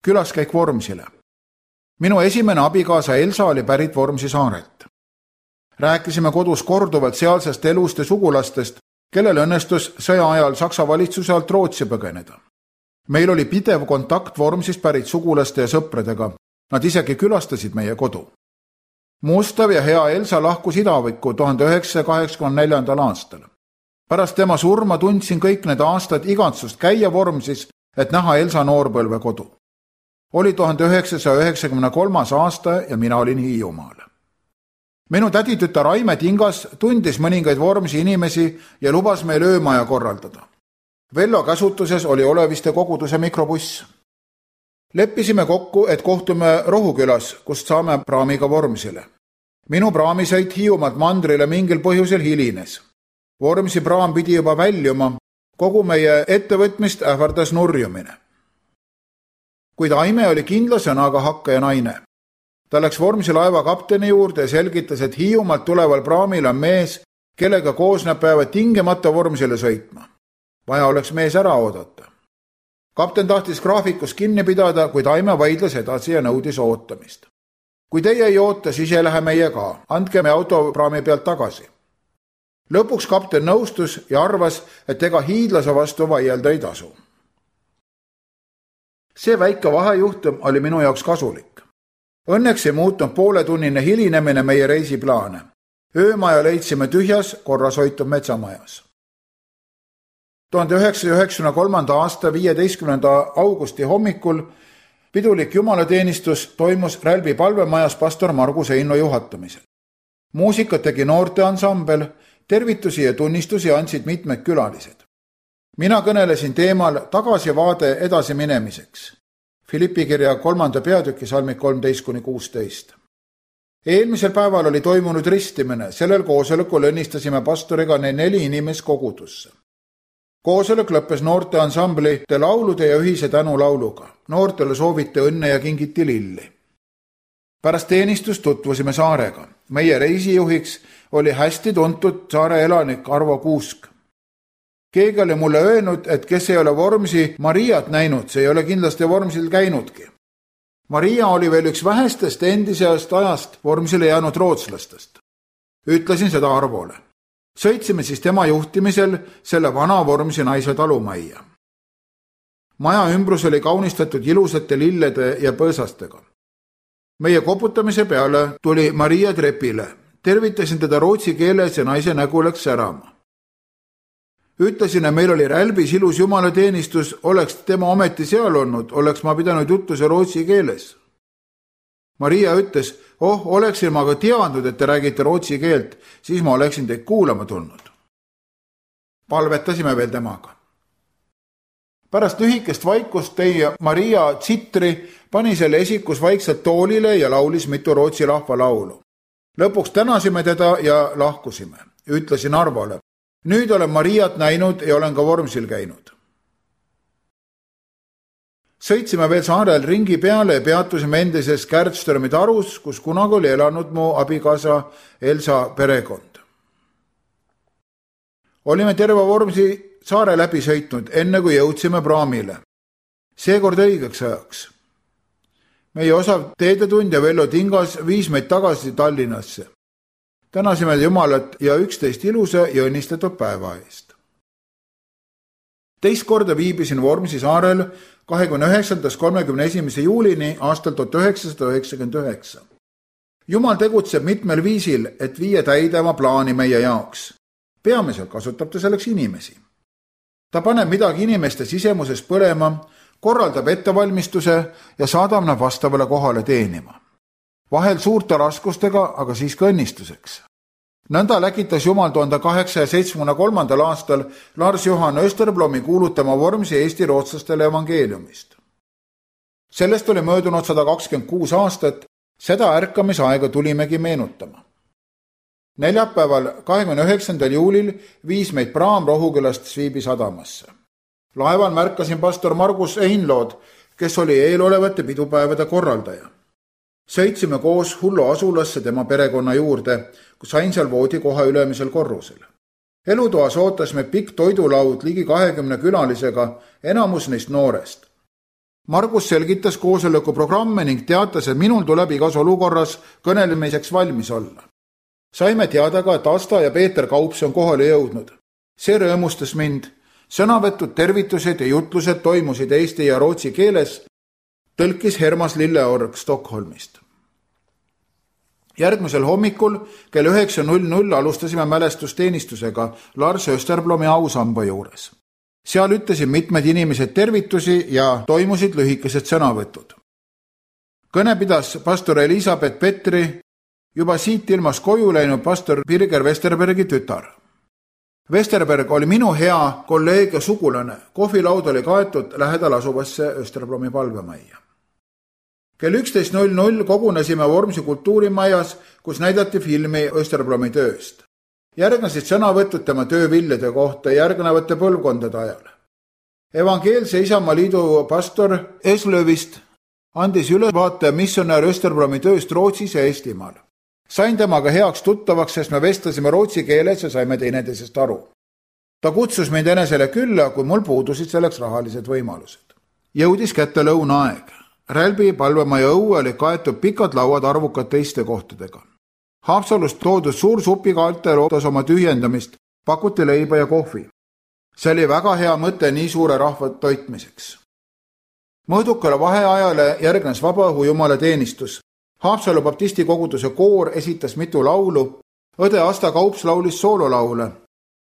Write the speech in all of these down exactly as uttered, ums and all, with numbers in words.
Külaskäik Vormsile. Minu esimene abikaasa Elsa oli pärit Vormsi saarelt. Rääkisime kodus korduvalt sealsest elust ja sugulastest, kellel õnnestus sõja ajal Saksa valitsuse alt Rootsi põgeneda. Meil oli pidev kontakt Vormsist pärit sugulaste ja sõpradega. Nad isegi külastasid meie kodu. Mustav ja hea Elsa lahkus Idavikku tuhande üheksasaja kaheksakümne neljandal aastal. Pärast tema surma tundsin kõik need aastad igatsust käia Vormsis, et näha Elsa noorpõlve kodu. Oli tuhande üheksasaja üheksakümne kolmas aasta ja mina olin Hiiumaal. Minu täditütar Aime Tingas tundis mõningaid Vormsi inimesi ja lubas meil öömaja korraldada. Vello käsutuses oli Oleviste koguduse mikrobuss. Leppisime kokku, et kohtume Rohukülas, kust saame praamiga Vormsile. Minu praamisõit Hiiumaalt mandrile mingil põhjusel hilines. Vormsi praam pidi juba väljuma, kogu meie ettevõtmist ähvardas nurjumine. Kuid Aime oli kindla sõnaga hakkaja naine. Ta läks Vormsi laeva kapteni juurde ja selgitas, et Hiiumaalt tuleval praamil on mees, kellega koos nad peavad tingimata Vormsile sõitma. Vaja oleks mees ära oodata. Kapten tahtis graafikus kinni pidada, kuid Aime vaidles edasi ja nõudis ootamist. Kui teie ei oota, siis ei lähe meie ka. Andke me autopraami pealt tagasi. Lõpuks kapten nõustus ja arvas, et ega hiidlase vastu vaielda ei tasu. See väike vahejuhtum oli minu jaoks kasulik. Õnneks ei muutunud pooletunnine hilinemine meie reisiplaane. Öömaja leidsime tühjas, korras hoitud metsamajas. tuhande üheksasaja üheksakümne kolmanda aasta viieteistkümnenda augusti hommikul pidulik jumalateenistus toimus Rälbi palvemajas pastor Margus Eino juhatamisel. Muusikat tegi noorteansambel, tervitusi ja tunnistusi andsid mitmed külalised. Mina kõnelesin teemal tagasivaade edasi minemiseks. Filippi kirja kolmanda peatüki salmid kolmteist kuni kuusteist. Eelmisel päeval oli toimunud ristimine, sellel koosolekul õnnistasime pastoriga neli inimest kogudusse. Koosolek lõppes noorteansamblite laulude ja ühise tänulauluga. Noortele sooviti õnne ja kingiti lilli. Pärast teenistust tutvusime saarega. Meie reisijuhiks oli hästi tuntud saare elanik Arvo Kuusk. Keegi oli mulle öelnud, et kes ei ole Vormsi Mariat näinud, see ei ole kindlasti Vormsil käinudki. Maria oli veel üks vähestest endisest ajast Vormsile jäänud rootslastest. Ütlesin seda Arvole. Sõitsime siis tema juhtimisel selle vana Vormsi naise talumajja. Maja ümbrus oli kaunistatud ilusate lillede ja põõsastega. Meie koputamise peale tuli Maria trepile. Tervitasin teda rootsi keeles ja naise nägu läks särama. Ütlesin, et meil oli Rälbis ilus jumalateenistus, oleks tema ometi seal olnud, oleks ma pidanud juttuse rootsi keeles. Maria ütles, oh, oleksin ma ka teadnud, et te räägite rootsi keelt, siis ma oleksin teid kuulama tulnud. Palvetasime veel temaga. Pärast lühikest vaikust tõi Maria tsitri, pani selle esikus vaikselt toolile ja laulis mitu rootsi rahva laulu. Lõpuks tänasime teda ja lahkusime. Ütlesin Arvole, nüüd olen Mariat näinud ja olen ka Vormsil käinud. Sõitsime veel saarel ringi peale ja peatusime endises Kärdströmi tarus, kus kunagi oli elanud mu abikaasa Elsa perekond. Olime terve Vormsi saare läbi sõitnud, enne kui jõudsime praamile. Seekord õigeks ajaks. Meie osav teedetund ja Vello Tingas viis meid tagasi Tallinnasse. Tänasime Jumalat ja üksteist ilusa ja õnnistatud päeva eest. Teist korda viibisin Vormsi saarel kahekümne üheksandast kolmekümne esimese juulini aastal tuhat üheksasada üheksakümmend üheksa. Jumal tegutseb mitmel viisil, et viia täide oma plaani meie jaoks. Peamiselt kasutab ta selleks inimesi. Ta paneb midagi inimeste sisemuses põlema, korraldab ettevalmistuse ja saadab nad vastavale kohale teenima. Vahel suurte raskustega, aga siis ka õnnistuseks. Nõnda läkitas Jumal tuhande kaheksasaja seitsmekümne kolmandal aastal Lars Johan Österblomi kuulutama Vormsi Eesti rootslastele evangeeliumist. Sellest oli möödunud sada kakskümmend kuus aastat, seda ärkamisaega tulimegi meenutama. Neljapäeval kahekümne üheksandal juulil viis meid praam Rohukülast Sviibi sadamasse. Laeval märkasin pastor Margus Einlood, kes oli eelolevate pidupäevade korraldaja. Sõitsime koos Hullu asulasse tema perekonna juurde, kus ainsal voodi koha ülemisel korrusel. Elutoas ootas me pikk toidulaud ligi kahekümne külalisega, enamus neist noorest. Margus selgitas koosoleku programme ning teatas, et minul tuleb igas olukorras kõnelemiseks valmis olla. Saime teada ka, et Asta ja Peeter Kaups on kohale jõudnud. See rõõmustas mind. Sõnavõtud, tervitused ja jutlused toimusid eesti ja rootsi keeles, tõlkis Hermas Lilleorg Stockholmist. Järgmisel hommikul kell üheksa null null alustasime mälestusteenistusega Lars Österblomi ausamba juures. Seal ütlesid mitmed inimesed tervitusi ja toimusid lühikesed sõnavõtud. Kõne pidas pastor Elisabeth Petri, juba siit ilmas koju läinud pastor Birger Westerbergi tütar. Westerberg oli minu hea kolleeg ja sugulane. Kohvilaud oli kaetud lähedal asuvasse Österblomi palvemajja. Kell üksteist null null kogunesime Vormsi kultuurimajas, kus näidati filmi Österblomi tööst. Järgnesid sõnavõtud tema tööviljade kohta järgnevate põlvkondade ajal. Evangeelse Isamaa Liidu pastor Eslövist andis ülevaate missionär Österblomi tööst Rootsis ja Eestimaal. Sain temaga heaks tuttavaks, sest me vestlesime rootsi keeles ja saime teineteisest aru. Ta kutsus mind enesele külla, kui mul puudusid selleks rahalised võimalused. Jõudis kätte lõunaaeg. Rälbi palvemaja õue oli kaetud pikad lauad arvukate istekohtadega. Haapsalust toodud suur supikaarte lootas oma tühjendamist, pakuti leiba ja kohvi. See oli väga hea mõte nii suure rahva toitmiseks. Mõõdukale vaheajale järgnes vabaõhu jumala teenistus. Haapsalu baptisti koguduse koor esitas mitu laulu, õde Asta Kaups laulis soololaule.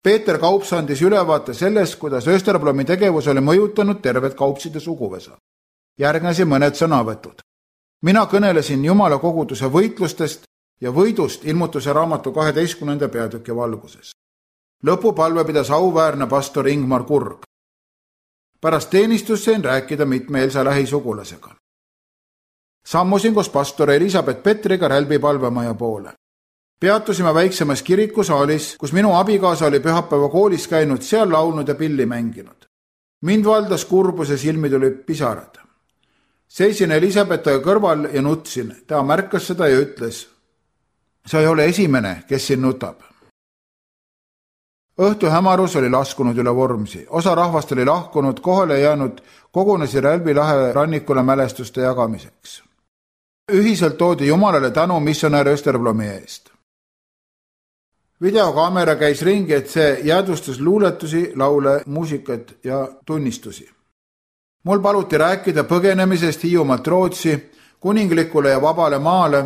Peeter Kaups andis ülevaate sellest, kuidas Österblomi tegevus oli mõjutanud tervet Kaupside suguvõsa. Järgnesi mõned sõnavõtud. Mina kõnelesin jumala koguduse võitlustest ja võidust ilmutuse raamatu kaheteistkümnenda peatüki valguses. Lõpupalve pidas auväärne pastor Ingmar Kurg. Pärast teenistust sain rääkida mitme Elsa lähisugulasega. Sammusin koos pastor Elisabeth Petriga Rälbi palvemaja poole. Peatusime väiksemas kirikusaalis, kus minu abikaasa oli pühapäeva koolis käinud, seal laulnud ja pilli mänginud. Mind valdas kurbus ja silmi tuli pisarad. Seisin Elisabethaga kõrval ja nutsin. Ta märkas seda ja ütles, sa ei ole esimene, kes siin nutab. Õhtu hämarus oli laskunud üle Vormsi. Osa rahvast oli lahkunud, kohale jäänud, kogunesi Rälbi lahe rannikule mälestuste jagamiseks. Ühiselt toodi Jumalale tänu missionär Österblomi eest. Videokaamera käis ringi, et see jäädvustas luuletusi, laule, muusikat ja tunnistusi. Mul paluti rääkida põgenemisest Hiiumaalt Rootsi, kuninglikule ja vabale maale,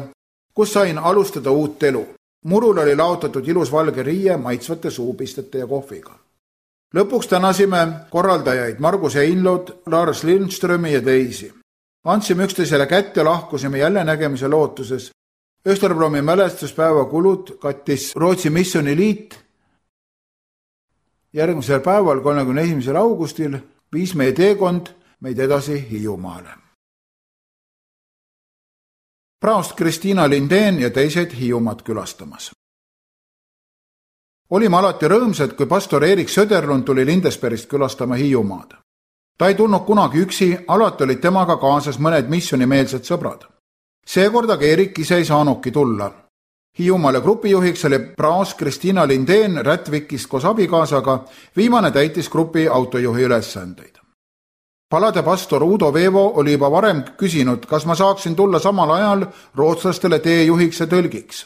kus sain alustada uut elu. Murul oli laotatud ilus valge riie maitsvate suupistete ja kohviga. Lõpuks tänasime korraldajaid Margus Einlod, Lars Lindströmi ja teisi. Andsime üksteisele kätt ja lahkusime jälle nägemise lootuses. Österblomi mälestuspäeva kulud kattis Rootsi missioniliit. Järgmisel päeval, kolmekümne esimesel augustil, viis meie teekond meid edasi Hiiumaale. Praost Kristiina Lindén ja teised Hiiumaad külastamas. Olime alati rõõmsad, kui pastor Erik Söderlund tuli Lindesbergist külastama Hiiumaad. Ta ei tulnud kunagi üksi, alati olid temaga kaasas mõned missionimeelsed sõbrad. Seekord aga Erik ise ei saanudki tulla. Hiiumaale grupijuhiks oli praost Kristiina Lindén Rätvikist koos abikaasaga, viimane täitis grupi autojuhi ülesandeid. Palade pastor Udo Veevo oli juba varem küsinud, kas ma saaksin tulla samal ajal rootslastele teejuhiks ja tõlgiks.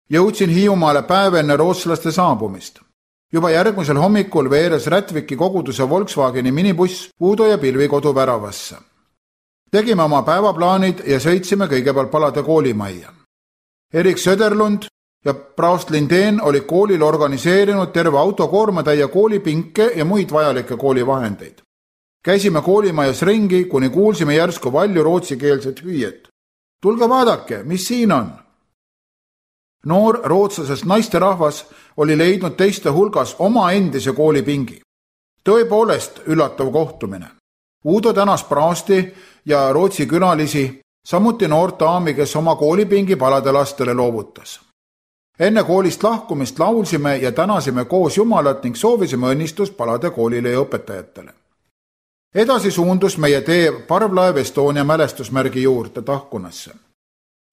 Jõudsin Hiiumaale päev enne rootslaste saabumist. Juba järgmisel hommikul veeres Rätviki koguduse Volkswageni minibuss Udo ja Pilvi kodu väravasse. Tegime oma päevaplaanid ja sõitsime kõigepealt Palade koolimajja. Erik Söderlund ja praost Lindén oli koolil organiseerinud terve autokoormatäie koolipinke ja muid vajalikke koolivahendeid. Käisime koolimajas ringi, kuni kuulsime järsku valju rootsikeelset hüüet. Tulge vaadake, mis siin on? Noor rootslasest naisterahvas oli leidnud teiste hulgas oma endise koolipingi. Tõepoolest üllatav kohtumine. Udo tänas praosti ja rootsi külalisi, samuti noort daami, kes oma koolipingi Palade lastele loovutas. Enne koolist lahkumist laulsime ja tänasime koos Jumalat ning soovisime õnnistust Palade koolile ja õpetajatele. Edasi suundus meie tee parvlaev Estonia mälestusmärgi juurde Tahkunasse.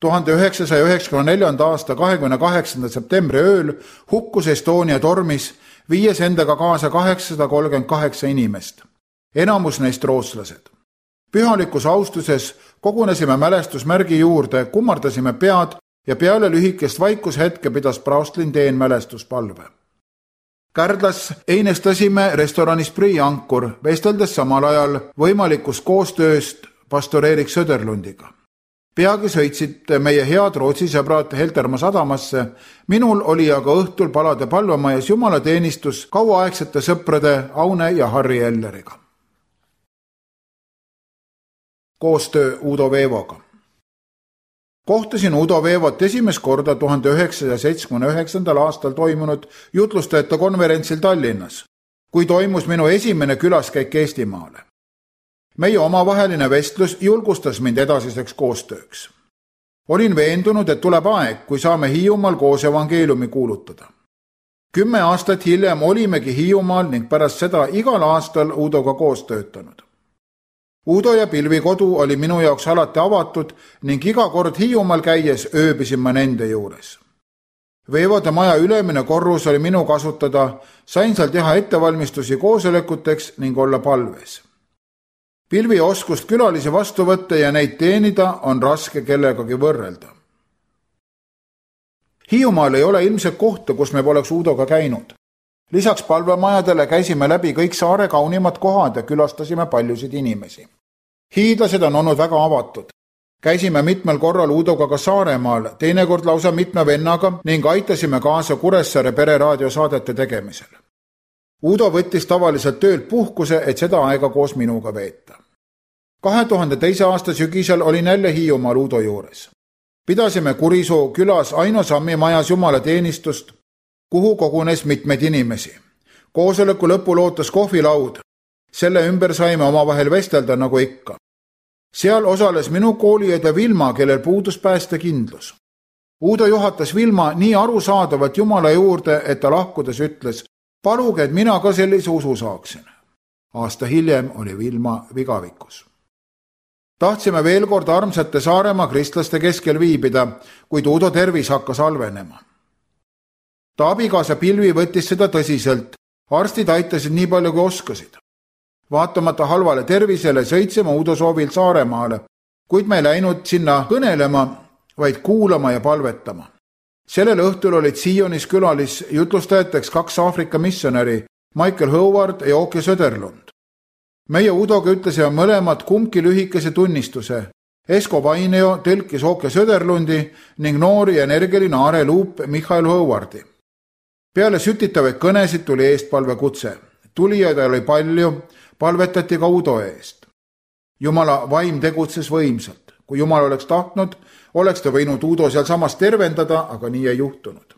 tuhande üheksasaja üheksakümne neljanda aasta kahekümne kaheksanda septembri ööl hukkus Estonia tormis, viies endaga kaasa kaheksasada kolmkümmend kaheksa inimest, enamus neist rootslased. Pühalikus austuses kogunesime mälestusmärgi juurde, kummardasime pead ja peale lühikest vaikushetke pidas praostlinn teen mälestuspalve. Kärdlas einestasime restoranis Priiankur, vesteldes samal ajal võimalikust koostööst pastor Erik Söderlundiga. Peagi sõitsid meie head Rootsi sõbrad Heltermaa sadamasse, minul oli aga õhtul palade palvemajas jumalateenistus kauaaegsete sõprade Aune ja Harri Elleriga. Koostöö Udo Veevoga. Kohtasin Udo Veevot esimest korda tuhande üheksasaja seitsmekümne üheksandal aastal toimunud jutlustajate konverentsil Tallinnas, kui toimus minu esimene külaskäik Eestimaale. Meie omavaheline vestlus julgustas mind edasiseks koostööks. Olin veendunud, et tuleb aeg, kui saame Hiiumaal koos evangeeliumi kuulutada. Kümme aastat hiljem olimegi Hiiumaal ning pärast seda igal aastal Udoga koos töötanud. Udo ja Pilvi kodu oli minu jaoks alati avatud ning iga kord Hiiumaal käies ööbisin ma nende juures. Veevode maja ülemine korrus oli minu kasutada, sain seal teha ettevalmistusi koosolekuteks ning olla palves. Pilvi oskust külalisi vastu võtta ja neid teenida on raske kellegagi võrrelda. Hiiumaal ei ole ilmselt kohta, kus me poleks Udoga käinud. Lisaks palvemajadele käisime läbi kõik saare kaunimad kohad ja külastasime paljusid inimesi. Hiidlased on olnud väga avatud. Käisime mitmel korral Udoga ka Saaremaal, teinekord lausa mitme vennaga ning aitasime kaasa Kuressaare pereraadiosaadete tegemisel. Udo võttis tavaliselt töölt puhkuse, et seda aega koos minuga veeta. kahe tuhande teise aasta sügisel olin jälle Hiiumaal Udo juures. Pidasime Kurisoo külas Aino Sammi majas jumalateenistust, kuhu kogunes mitmeid inimesi. Koosoleku lõpul ootas kohvilaud. Selle ümber saime omavahel vestelda nagu ikka. Seal osales minu kooliõde Vilma, kellel puudus päästekindlus. Udo juhatas Vilma nii arusaadavalt Jumala juurde, et ta lahkudes ütles, paluge, et mina ka sellise usu saaksin. Aasta hiljem oli Vilma vigavikus. Tahtsime veel kord armsate Saaremaa kristlaste keskel viibida, kuid Udo tervis hakkas halvenema. Ta abikaasa Pilvi võttis seda tõsiselt. Arstid aitasid nii palju kui oskasid. Vaatamata halvale tervisele sõitsime Udo soovil Saaremaale, kuid me ei läinud sinna kõnelema, vaid kuulama ja palvetama. Sellel õhtul olid Sionis külalis jutlustajateks kaks Aafrika missionäri, Michael Howard ja Åke Söderlund. Meie Udoga ütlesime mõlemad kumbki lühikese tunnistuse. Esko Vaineo tõlkis Åke Söderlundi ning noori energiline Are Luup Michael Howardi. Peale sütitavaid kõnesid tuli eestpalve kutse. Tulijaid oli palju, palvetati ka Udo eest. Jumala vaim tegutses võimsalt. Kui Jumal oleks tahtnud, oleks ta võinud Udo seal samas tervendada, aga nii ei juhtunud.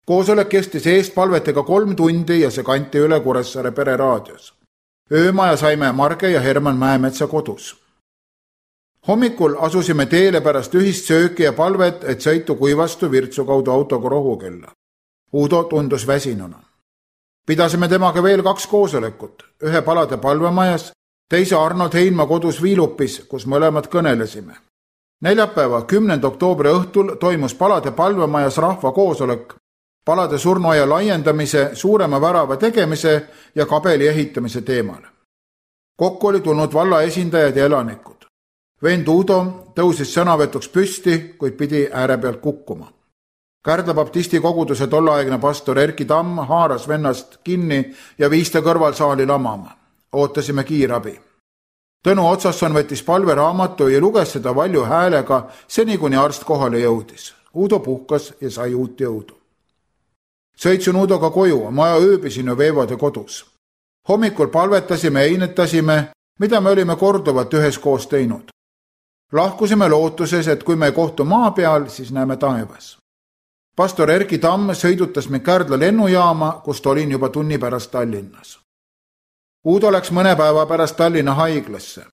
Koosolek kestis eestpalvetega kolm tundi ja see kanti üle Kuressaare pereraadios. Öömaja saime Marge ja Herman Mäemetsa kodus. Hommikul asusime teele pärast ühist sööki ja palvet, et sõitu kuivastu Virtsu kaudu autoga Rohukülla. Udo tundus väsinuna. Pidasime temaga veel kaks koosolekut, ühe palade palvemajas, teise Arnold Heinma kodus Viilupis, kus mõlemad kõnelesime. Neljapäeva kümnenda oktoobri õhtul toimus palade palvemajas rahva koosolek, palade surnuaia laiendamise, suurema värava tegemise ja kabeli ehitamise teemal. Kokku oli tulnud valla esindajad ja elanikud. Vend Udo tõusis sõnavõtuks püsti, kuid pidi ääre pealt kukkuma. Kärdla baptisti koguduse tolleaegne pastor Erki Tamm haaras vennast kinni ja viis ta kõrvalsaali lamama. Ootasime kiirabi. Tõnu Otsasson võttis palveraamatu ja luges seda valju häälega, seni kuni arst kohale jõudis. Udo puhkas ja sai uut jõudu. Sõitsin Udoga koju, ma ööbisin ju Veevode kodus. Hommikul palvetasime ja einetasime, mida me olime korduvalt üheskoos teinud. Lahkusime lootuses, et kui me ei kohtu maa peal, siis näeme taevas. Pastor Erki Tamm sõidutas mind Kärdla lennujaama, kust olin juba tunni pärast Tallinnas. Udo läks mõne päeva pärast Tallinna haiglasse.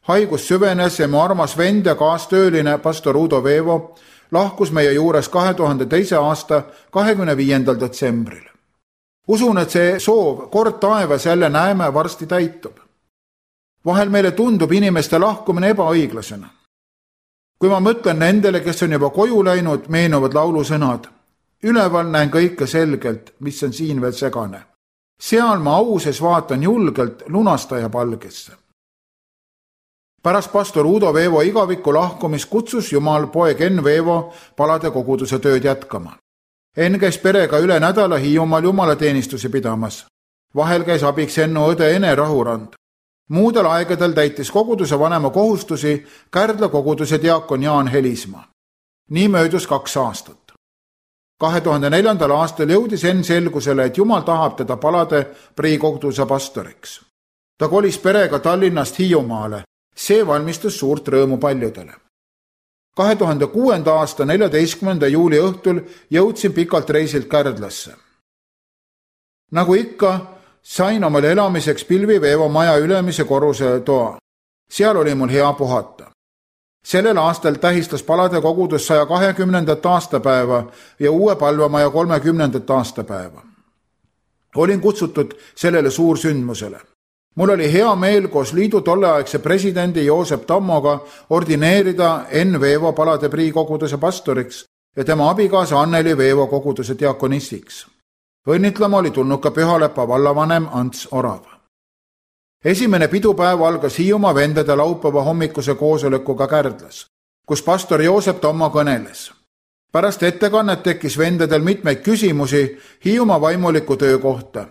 Haigus süvenes ja mu armas vend ja kaastööline pastor Udo Veevo lahkus meie juures kahe tuhande teise aasta kahekümne viiendal detsembril. Usun, et see soov kord taevas jälle näeme varsti täitub. Vahel meile tundub inimeste lahkumine ebaõiglasena. Kui ma mõtlen nendele, kes on juba koju läinud, meenuvad laulusõnad. Üleval näen kõike selgelt, mis on siin veel segane. Seal ma auses vaatan julgelt lunastaja palgesse. pärast pastor Udo Veevo igavikku lahkumist kutsus Jumal poeg Enn Veevo palade koguduse tööd jätkama. Enn käis perega üle nädala Hiiumaal jumalateenistusi pidamas. Vahel käis abiks Ennu õde Ene Rahurand. Muudel aegadel täitis koguduse vanema kohustusi Kärdla koguduse diakon Jaan Helismaa. Nii möödus kaks aastat. kahe tuhande neljandal aastal jõudis Enn selgusele, et Jumal tahab teda palade Prii koguduse pastoriks. Ta kolis perega Tallinnast Hiiumaale. See valmistas suurt rõõmu paljudele. kahe tuhande kuuenda aasta neljateistkümnenda juuli õhtul jõudsin pikalt reisilt Kärdlasse. Nagu ikka, sain omal elamiseks Pilvi Veevo maja ülemise korruse toa. Seal oli mul hea puhata. Sellel aastal tähistas palade kogudus saja kahekümnendat aastapäeva ja uue palvemaja kolmekümnendat aastapäeva. Olin kutsutud sellele suursündmusele. Mul oli hea meel koos liidu tolleaegse presidendi Joosep Tammoga ordineerida Enn Veevo palade Prii koguduse pastoriks ja tema abikaasa Anneli Veevo koguduse diakonistiks. Õnnitlema oli tulnud ka Pühalepa vallavanem Ants Orav. Esimene pidupäev algas Hiiumaa vendade laupäeva hommikuse koosolekuga Kärdlas, kus pastor Joosep Tammo kõneles. Pärast ettekannet tekkis vendadel mitmeid küsimusi Hiiumaa vaimuliku töö kohta.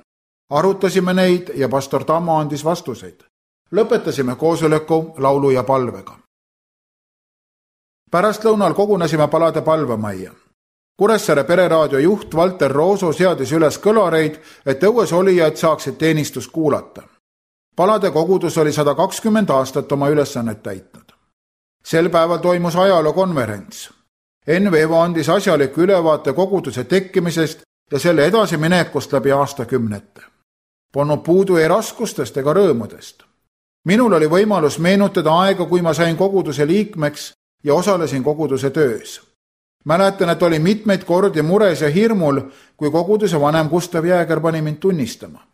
Arutasime neid ja pastor Tammo andis vastuseid. Lõpetasime koosoleku laulu ja palvega. Pärastlõunal kogunesime palade palvemajja. Kuressaare pereraadio juht Valter Rooso seadis üles kõlareid, et õues olijad saaksid teenistust kuulata. Palade kogudus oli sada kakskümmend aastat oma ülesannet täitnud. Sel päeval toimus ajalookonverents. Enn Veevo andis asjaliku ülevaate koguduse tekkimisest ja selle edasiminekust läbi aastakümnete. Polnud puudu ei raskustest ega rõõmudest. Minul oli võimalus meenutada aega, kui ma sain koguduse liikmeks ja osalesin koguduse töös. Mäletan, et oli mitmeid kordi mures ja hirmul, kui koguduse vanem Gustav Jääger pani mind tunnistama.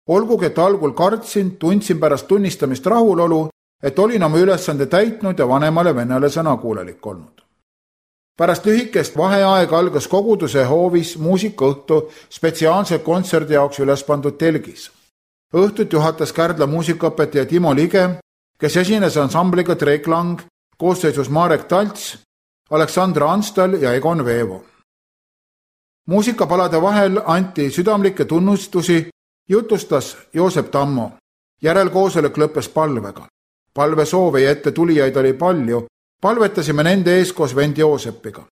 Olgugi, et algul kartsin, tundsin pärast tunnistamist rahulolu, et olin oma ülesande täitnud ja vanemale vennale sõnakuulelik olnud. Pärast lühikest vaheaega algas koguduse hoovis muusikaõhtu spetsiaalse kontserdi jaoks üles pandud telgis. Õhtut juhatas Kärdla muusikaõpetaja Timo Lige, kes esines ansambliga Treklang, koosseisus Marek Talts, Aleksandra Anstal ja Egon Veevo. Muusikapalade vahel anti südamlikke tunnustusi, jutustas Joosep Tammo. Järelkoosolek lõppes palvega. Palve soove ja ette tulijaid oli palju. Palvetasime nende ees koos vend Joosepiga.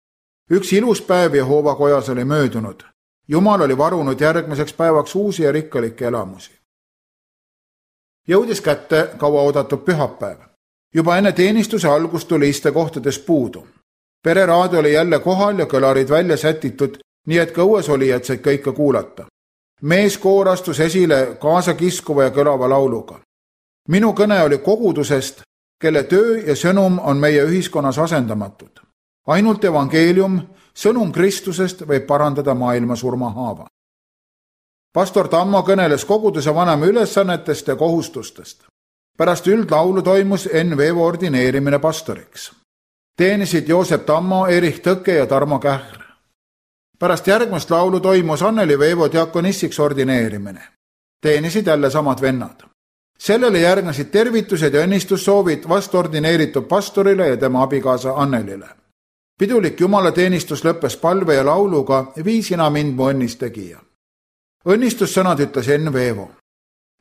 Üks ilus päev Jehova kojas oli möödunud. Jumal oli varunud järgmiseks päevaks uusi ja rikkalikke elamusi. Jõudis kätte kaua oodatud pühapäev. Juba enne teenistuse algust tuli istekohtades puudu. Pereraadio oli jälle kohal ja kõlarid välja sätitud, nii et ka õues olijad said kõike kuulata. Meeskoor astus esile kaasa kiskuva ja kõlava lauluga. Minu kõne oli kogudusest, kelle töö ja sõnum on meie ühiskonnas asendamatud. Ainult evangeelium, sõnum Kristusest võib parandada maailma surmahaava. Pastor Tammo kõneles koguduse vanema ülesannetest ja kohustustest. Pärast üldlaulu toimus Enn Veevo ordineerimine pastoriks. Teenisid Joosep Tammo, Erich Tõke ja Tarmo Kähr. Pärast järgmist laulu toimus Anneli Veevo diakonistiks ordineerimine. Teenisid jälle samad vennad. Sellele järgnesid tervitused ja õnnistussoovid vastordineeritud pastorile ja tema abikaasa Annelile. Pidulik jumalateenistus lõppes palve ja lauluga Vii sina mind mu õnnistegija. Õnnistussõnad ütles Enn Veevo.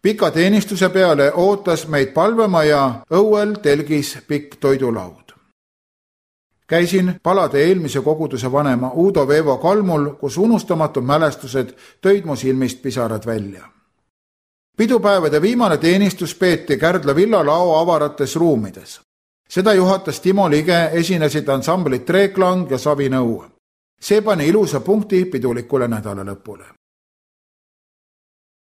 Pika teenistuse peale ootas meid palvemaja õuel telgis pikk toidulaud. Käisin palade eelmise koguduse vanema Udo Veevo kalmul, kus unustamatud mälestused tõid mu silmist pisarad välja. Pidupäevade viimane teenistus peeti Kärdla villalao avarates ruumides. Seda juhatas Timo Lige, esinesid ansamblid Treklang ja Savi Nõu. See pani ilusa punkti pidulikule nädala lõpule.